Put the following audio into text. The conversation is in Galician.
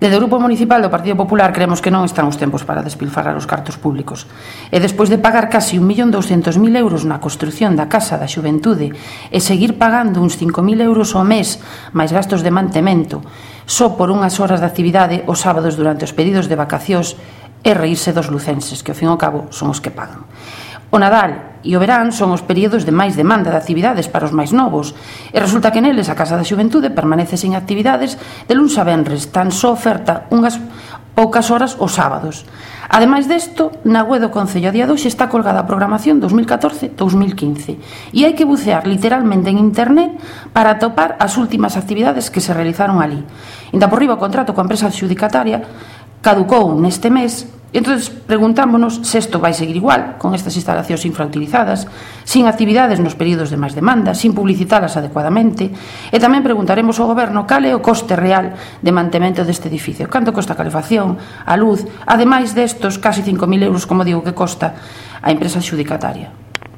Desde o Grupo Municipal do Partido Popular creemos que non están os tempos para despilfarrar os cartos públicos. E despois de pagar casi 1.200.000 euros na construción da Casa da Xuventude e seguir pagando uns 5.000 euros ao mes máis gastos de mantemento só por unhas horas de actividade os sábados durante os períodos de vacacións, e reírse dos lucenses, que ao fin e ao cabo son os que pagan. O Nadal e o verán son os períodos de máis demanda de actividades para os máis novos, e resulta que neles a Casa da Xuventude permanece sen actividades de luns a venres, tan só oferta unhas poucas horas os sábados. Ademais desto, na web do Concello a día de hoxe está colgada a programación 2014-2015 e hai que bucear literalmente en internet para atopar as últimas actividades que se realizaron ali. Inda por riba o contrato coa empresa adxudicataria caducou neste mes. Entón, preguntámonos se isto vai seguir igual, con estas instalacións infrautilizadas, sin actividades nos períodos de máis demanda, sin publicitalas adecuadamente, e tamén preguntaremos ao Goberno cal é o coste real de mantemento deste edificio, canto costa a calefacción, a luz, ademais destos casi 5.000 euros, como digo, que costa a empresa adxudicataria.